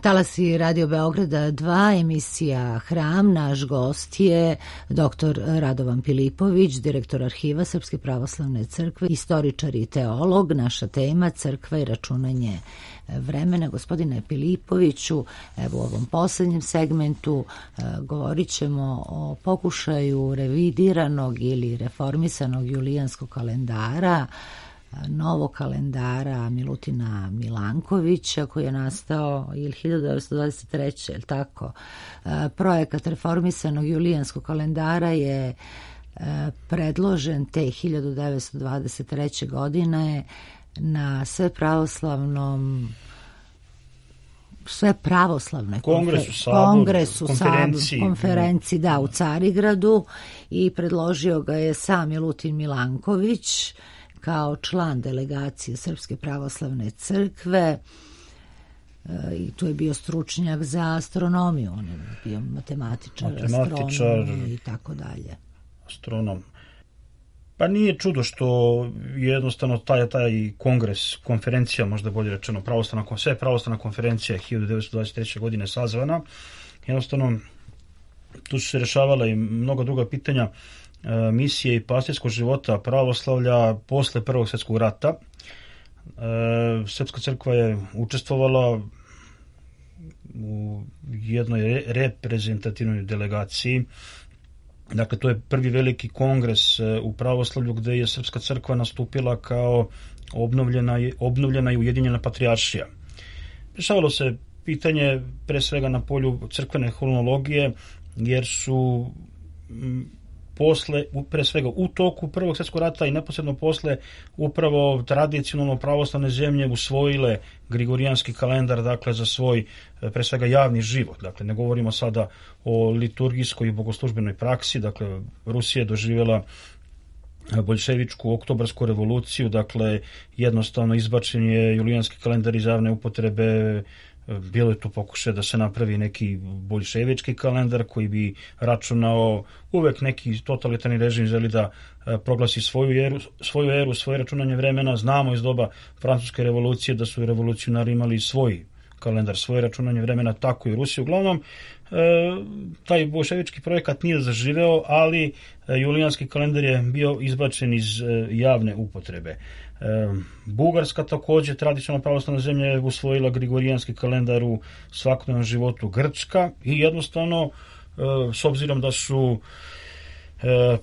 Talasi Radio Beograda 2, emisija Hram. Naš gost je dr. Radovan Pilipović, direktor Arhiva Srpske pravoslavne crkve, istoričar i teolog. Naša tema crkva i računanje vremena. Gospodine Pilipoviću, evo u ovom poslednjem segmentu govorit ćemo o pokušaju revidiranog ili reformisanog julijanskog kalendara, novog kalendara Milutina Milankovića, koji je nastao 1923. Je li tako? Projekat reformisanog julijanskog kalendara je predložen te 1923. godine na sve pravoslavnoj konferenciji u Carigradu, i predložio ga je sam Milutin Milanković kao član delegacije Srpske pravoslavne crkve, i tu je bio stručnjak za astronomiju, on je bio matematičar, astronom i tako dalje. Astronom. Pa nije čudo što jednostavno taj kongres, konferencija, možda bolje rečeno, sve pravoslavna konferencija 1923. godine sazvana. Jednostavno, tu su se rešavala i mnogo druga pitanja misije i pastirskog života pravoslavlja posle Prvog svjetskog rata. Srpska crkva je učestvovala u jednoj reprezentativnoj delegaciji. Dakle, to je prvi veliki kongres u pravoslavlju gde je Srpska crkva nastupila kao obnovljena i ujedinjena patrijaršija. Rešavalo se pitanje pre svega na polju crkvene hronologije, jer su pre svega u toku Prvog svjetskog rata i neposredno posle upravo tradicionalno pravoslavne zemlje usvojile Grigorijanski kalendar, dakle za svoj pre svega javni život. Dakle, ne govorimo sada o liturgijskoj i bogoslužbenoj praksi. Dakle, Rusija je doživjela boljševičku oktobarsku revoluciju, dakle jednostavno izbačen je julijanski kalendar iz javne upotrebe. Bilo je tu pokušaj da se napravi neki boljševički kalendar koji bi računao, uvek neki totalitarni režim želi da proglasi svoju eru, svoje računanje vremena. Znamo iz doba Francuske revolucije da su revolucionari imali svoj kalendar, svoje računanje vremena, tako i Rusija. Uglavnom, taj boljševički projekat nije zaživeo, ali julijanski kalendar je bio izbačen iz javne upotrebe. Bugarska takođe, tradicionalno pravoslavna zemlja, je usvojila Grigorijanski kalendar u svakodnevnom životu. Grčka, i jednostavno, s obzirom da su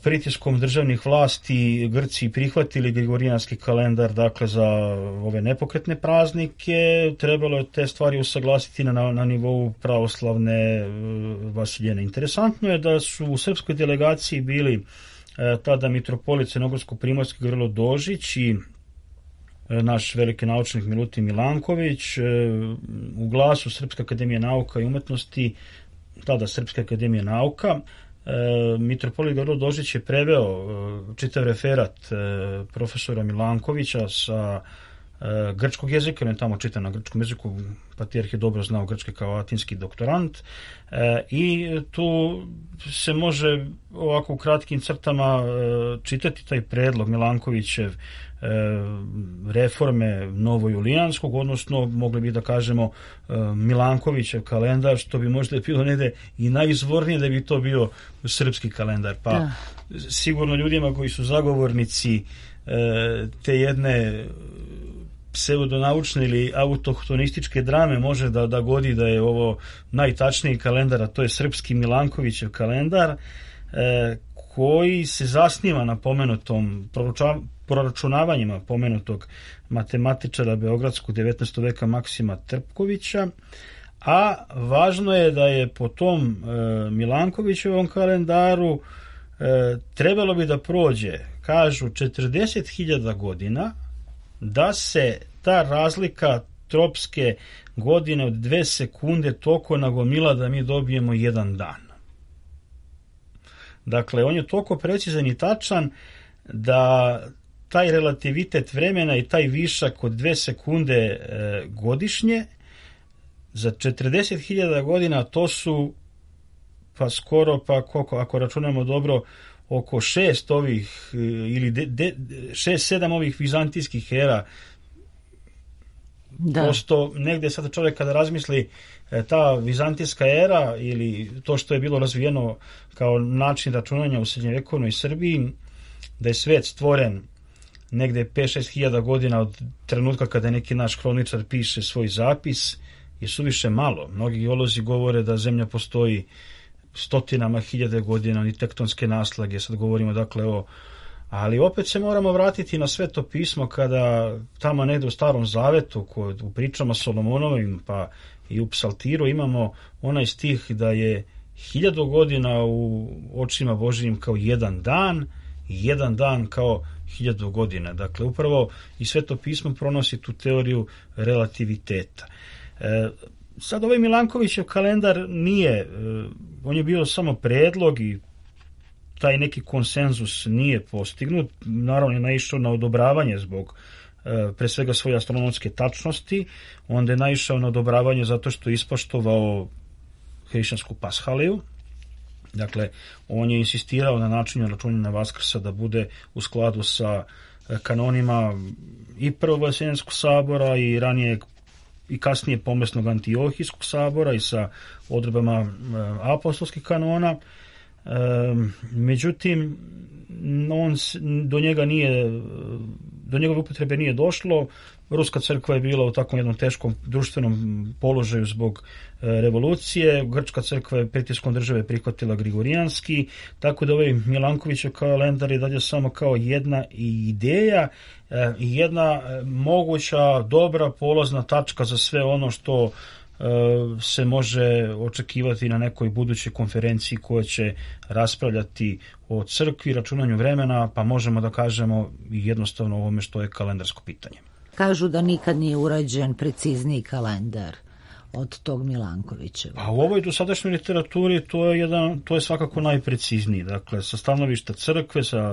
pritiskom državnih vlasti Grci prihvatili Grigorijanski kalendar, dakle za ove nepokretne praznike, trebalo je te stvari usaglasiti na nivou pravoslavne vasiljene. Interesantno je da su u srpskoj delegaciji bili tada mitropolit Crnogorsko-primorski Gavrilo Dožić i naš veliki naučnik Milutin Milanković. U Glasu Srpske akademije nauka i umetnosti, tada Srpske akademije nauka, mitropolit Gavrilo Dožić je preveo čitav referat profesora Milankovića sa grčkog jezika, on je tamo čitan na grčkom jeziku, patrijarh je dobro znao grčki kao latinski doktorant, i tu se može ovako u kratkim crtama čitati taj predlog Milankovićev reforme novojulijanskog, odnosno mogli bi da kažemo Milankovićev kalendar, što bi možda bilo negde i najizvornije da bi to bio srpski kalendar. Pa sigurno ljudima koji su zagovornici te jedne pseudonaučne ili autohtonističke drame može da godi da je ovo najtačniji kalendar, a to je srpski Milankovićev kalendar, koji se zasniva na pomenutom proračunavanjima pomenutog matematičara beogradskog 19. veka Maksima Trpkovića, a važno je da je po tom Milankovićevom kalendaru trebalo bi da prođe, kažu, 40.000 godina da se ta razlika tropske godine od 2 sekunde toliko nagomila da mi dobijemo jedan dan. Dakle, on je toliko precizan i tačan da taj relativitet vremena i taj višak od 2 sekunde godišnje za 40.000 godina, to su pa skoro, pa koliko, ako računamo dobro, oko 6 ovih ili 6-7 ovih vizantijskih era Prosto negde sad čovjek kada razmisli ta vizantijska era ili to što je bilo razvijeno kao način računanja u srednjovjekovnoj Srbiji, da je svet stvoren negde 5-6 hiljada godina od trenutka kada neki naš hroničar piše svoj zapis, je suviše malo. Mnogi geolozi govore da zemlja postoji stotinama hiljade godina, ni tektonske naslage, sad govorimo dakle o... Ali opet se moramo vratiti na Sveto pismo kada tamo negde u Starom Zavetu, u pričama Solomonovim pa i u Psaltiru imamo onaj stih da je 1000 godina u očima Božijim kao jedan dan i jedan dan kao 1000 godina. Dakle, upravo i Sveto pismo pronosi tu teoriju relativiteta. Sad ovaj Milankovićev kalendar nije, on je bio samo predlog i taj neki konsenzus nije postignut, naravno je naišao na odobravanje zbog pre svega svoje astronomske tačnosti, onda je naišao na odobravanje zato što je ispoštovao hrišćansku pashaliju. Dakle, on je insistirao na načinu računanja Vaskrsa da bude u skladu sa kanonima i Prvog Vaseljenskog sabora i ranije i kasnije pomesnog Antiohijskog sabora i sa odredbama apostolskih kanona. Međutim, do njegove upotrebe nije došlo. Ruska crkva je bila u takvom jednom teškom društvenom položaju zbog revolucije. Grčka crkva je pritiskom države prihvatila grigorijanski, tako da ovaj Milankovićev kalendar je dalje samo kao jedna ideja i jedna moguća dobra polazna tačka za sve ono što se može očekivati na nekoj budućoj konferenciji koja će raspravljati o crkvi, računanju vremena, pa možemo da kažemo jednostavno o ovome što je kalendarsko pitanje. Kažu da nikad nije urađen precizniji kalendar od tog Milankovićeva. A u ovoj dosadašnjoj literaturi to je svakako najprecizniji. Dakle, sa stanovišta crkve, sa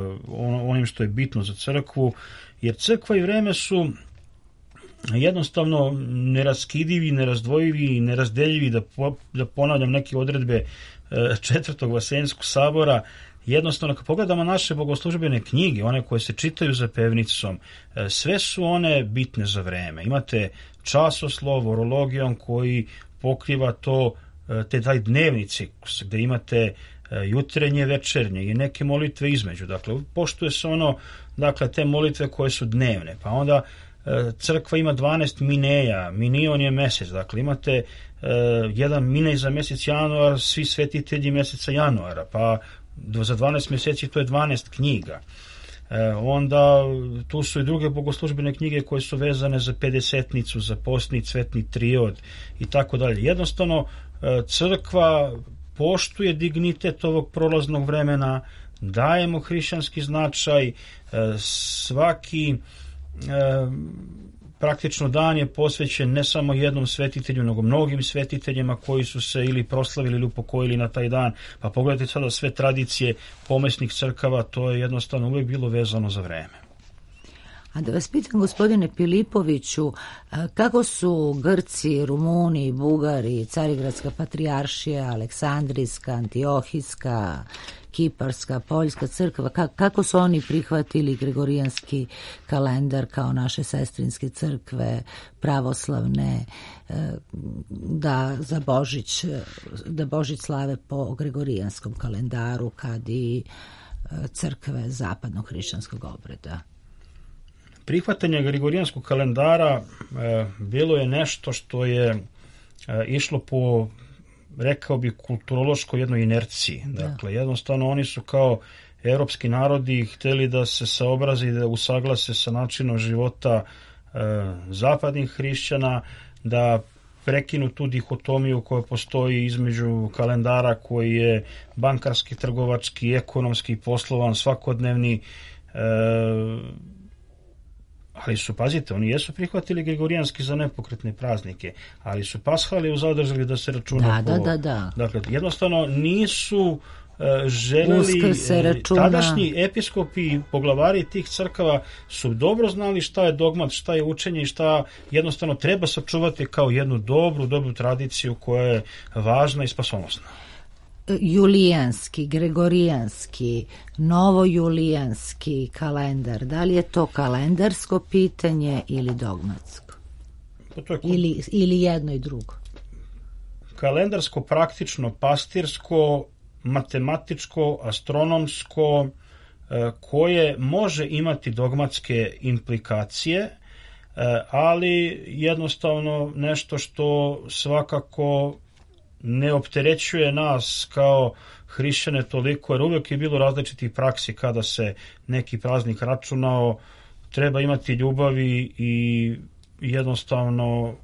onim što je bitno za crkvu, jer crkva i vreme su jednostavno neraskidivi, nerazdvojivi i nerazdeljivi, da ponavljam neke odredbe Četvrtog Vaseljenskog sabora. Jednostavno, kad pogledamo naše bogoslužbene knjige, one koje se čitaju za pevnicom, sve su one bitne za vreme. Imate časoslov, orologijom koji pokriva taj dnevni ciklus, gde imate jutrenje, večernje i neke molitve između. Dakle, poštuje se te molitve koje su dnevne, pa onda crkva ima 12 mineja, minion je mesec, dakle imate jedan minej za mesec januar, svi svetitelji meseca januara, pa za 12 mjeseci to je 12 knjiga. Onda tu su i druge bogoslužbene knjige koje su vezane za pedesetnicu, za postni cvetni triod i tako dalje. Jednostavno, crkva poštuje dignitet ovog prolaznog vremena, dajemo hrišćanski značaj, svaki praktično dan je posvećen ne samo jednom svetitelju, nego mnogim svetiteljima koji su se ili proslavili ili upokojili na taj dan. Pa pogledajte sada sve tradicije pomesnih crkava, to je jednostavno uvijek bilo vezano za vreme. A da vas pitam, gospodine Pilipoviću, kako su Grci, Rumuni, Bugari, Carigradska patrijaršija, Aleksandrijska, Antiohijska, Kiparska, Poljska crkva, kako su oni prihvatili gregorijanski kalendar kao naše sestrinske crkve, pravoslavne, da Božić slave po gregorijanskom kalendaru kad i crkve zapadnog hrišćanskog obreda? Prihvatanje gregorijanskog kalendara bilo je nešto što je išlo po, rekao bi, kulturološkoj jednoj inerciji. Dakle, jednostavno oni su kao evropski narodi hteli da se saobraze i da usaglase sa načinom života zapadnih hrišćana, da prekinu tu dihotomiju koja postoji između kalendara koji je bankarski, trgovački, ekonomski, poslovan, svakodnevni, ali su, pazite, oni jesu prihvatili gregorijanski za nepokretne praznike, ali su pashaliju zadržali da se računa Da. Dakle, jednostavno nisu želeli, tadašnji episkopi i poglavari tih crkava su dobro znali šta je dogmat, šta je učenje i šta jednostavno treba sačuvati kao jednu dobru tradiciju koja je važna i spasonosna. Julijanski, gregorijanski, novojulijanski kalendar, da li je to kalendarsko pitanje ili dogmatsko? Ili jedno i drugo? Kalendarsko, praktično, pastirsko, matematičko, astronomsko, koje može imati dogmatske implikacije, ali jednostavno nešto što svakako ne opterećuje nas kao hrišćane toliko, jer uvijek je bilo različitih praksi kada se neki praznik računao. Treba imati ljubavi i jednostavno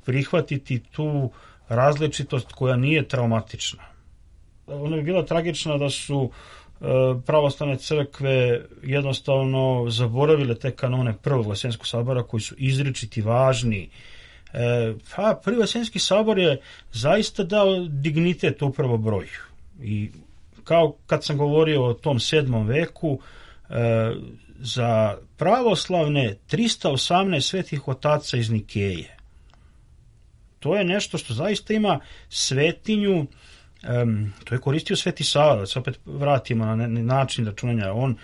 prihvatiti tu različitost koja nije traumatična. Ona bi bila tragična da su pravoslavne crkve jednostavno zaboravile te kanone Prvog Vaseljenskog sabora koji su izričiti važni. Prvi Vaseljenski sabor je zaista dao dignitet upravo broju. I kao kad sam govorio o tom 7. veku, za pravoslavne 318 svetih otaca iz Nikeje. To je nešto što zaista ima svetinju. To je koristio Sveti Sava, da se opet vratimo na način računanja. On,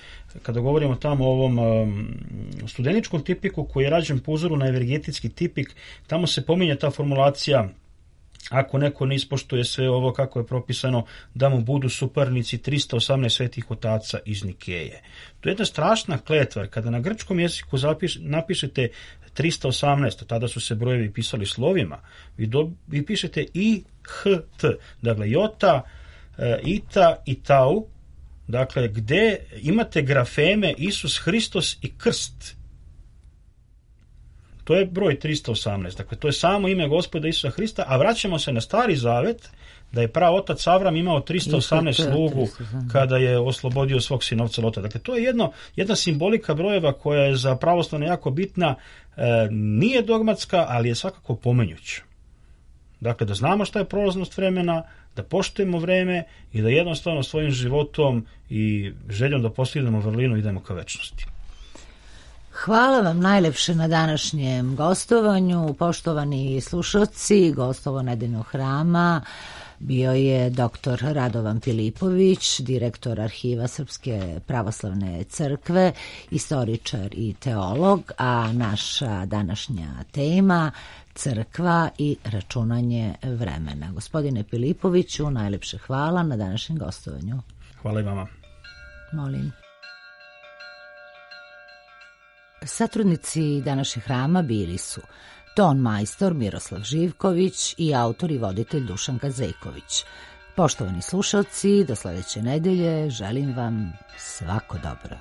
kada govorimo tamo o ovom studeničkom tipiku koji je rađen po uzoru na evergetski tipik, tamo se pominje ta formulacija: ako neko ne ispoštuje sve ovo kako je propisano, da mu budu suparnici 318 svetih otaca iz Nikeje. To je jedna strašna kletva. Kada na grčkom jeziku napišete 318, tada su se brojevi pisali slovima, vi pišete i, h, t, dakle jota, ita i tau, dakle gde imate grafeme Isus Hristos i krst. To je broj 318, dakle to je samo ime Gospoda Isusa Hrista, a vraćamo se na Stari Zavet, da je praotac Avram imao 318 slugu kada je oslobodio svog sinovca Lota. Dakle, to je jedna simbolika brojeva koja je za pravoslavne jako bitna, nije dogmatska, ali je svakako pomenjuća. Dakle, da znamo šta je prolaznost vremena, da poštujemo vreme i da jednostavno svojim životom i željom da postignemo vrlinu idemo ka večnosti. Hvala vam najlepše na današnjem gostovanju. Poštovani slušalci, gostovo Nedeljnog hrama bio je dr. Radovan Filipović, direktor Arhiva Srpske pravoslavne crkve, istoričar i teolog, a naša današnja tema crkva i računanje vremena. Gospodine Filipoviću, najlepše hvala na današnjem gostovanju. Hvala i vama. Molim. Satrudnici današnjeg hrama bili su ton majstor Miroslav Živković i autor i voditelj Dušan Gazejković. Poštovani slušalci, do sledeće nedelje želim vam svako dobro.